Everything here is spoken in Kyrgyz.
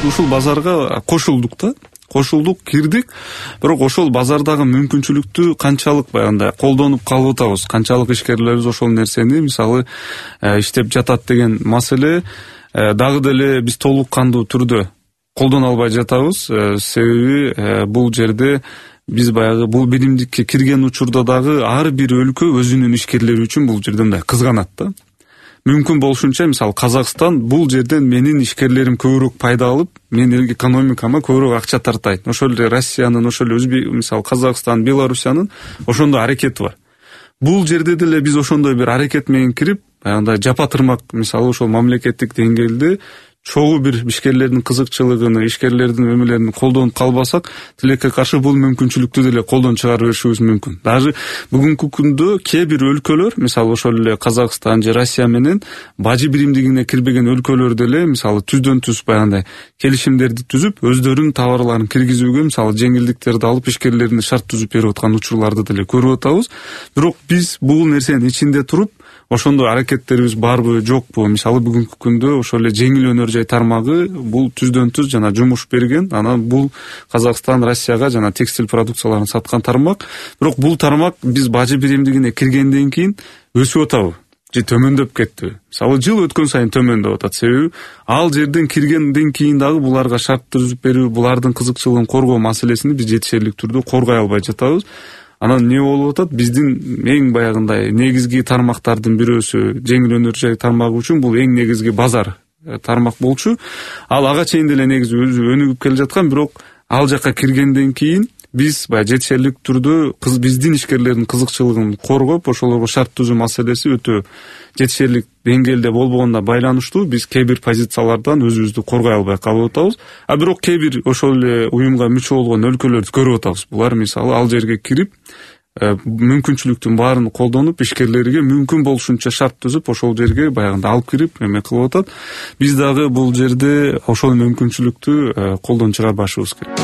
ушул базарга кошулдук, кирдик. Бирок ошол базардагы мүмкүнчүлүктү канчалык баягындай колдонуп калып атабыз, канчалык ишкерлерибиз ошол нерсени мисалы иштеп жатат деген маселе дагы деле биз толук кандуу түрдө колдоно албай жатабыз. Себеби бул жерде биз баягы бул биримдикке кирген учурда дагы ар бир өлкө өзүнүн ишкерлери үчүн бул жерде мындай кызганат да. Мүмкүн болушунча мисалы Казакстан бул жерден менин ишкерлерим көбүрөөк пайда алып, менин экономикама көбүрөөк акча тартайт. Ошол эле Россиянын, ошол эле мисалы Казакстан, Белоруссиянын ошондой аракети бар. Бул жерде деле биз ошондой бир аракет менен кирип, баягындай жапа-тырмак мисалы ошол мамлекеттик деңгээлде чогуу бир ишкерлердин кызыкчылыгын, ишкерлердин өмүрлөрүн колдонуп калбасак, тилекке каршы бул мүмкүнчүлүктү деле колдон чыгара беришибиз мүмкүн. Даже бүгүнкү күндө кээ бир өлкөлөр, мисалы ошол эле Казакстан же Россия менен бажы биримдигине кирбеген өлкөлөр деле мисалы түздөн-түз баягындай келишимдерди түзүп, өздөрүнүн товарларын киргизүүгө мисалы жеңилдиктерди алып ишкерлерине шарт түзүп берип аткан учурларды деле көрүп атабыз. Бирок биз бул нерсенин ичинде туруп ошондой аракеттерибиз барбы, жокпу? Мисалы бүгүнкү күндө ошол эле жеңил өнөр жай тармагы бул түздөн-түз жана жумуш берген. Анан бул Казакстан, Россияга жана текстиль продукцияларын саткан тармак. Бирок бул тармак биз бажы биримдигине киргенден кийин өсүп атабы же төмөндөп кеттиби? Мисалы жыл өткөн сайын төмөндөп атат. Себеби ал жерден киргенден кийин дагы буларга шарт түзүп берүү, булардын кызыкчылыгын коргоо маселесин биз жетишерлик түрдө коргой албай жатабыз. Анан не болуп атат? Биздин эң баягындай негизги тармактардын бирөөсү жеңил өнөр жай тармагы үчүн бул эң негизги базар тармак болчу. Ал ага чейин деле негизи өзү өнүгүп келе жаткан, бирок ал жакка киргенден кийин биз баягы жетишерлик түрдө биздин ишкерлердин кызыкчылыгын коргоп, ошолорго шарт түзүү маселеси өтө жетишерлик деңгээлде болбогонуна байланыштуу биз кээ бир позициялардан өзүбүздү коргой албай калып атабыз. Бирок кээ бир ошол эле уюмга мүчө болгон өлкөлөрдү көрүп атабыз. Булар мисалы ал жерге кирип, мүмкүнчүлүктүн баарын колдонуп, ишкерлерге мүмкүн болушунча шарт түзүп, ошол жерге баягында алып кирип эме кылып атат. Биз дагы бул жерде ошол мүмкүнчүлүктү колдон чыгарбашыбыз керек.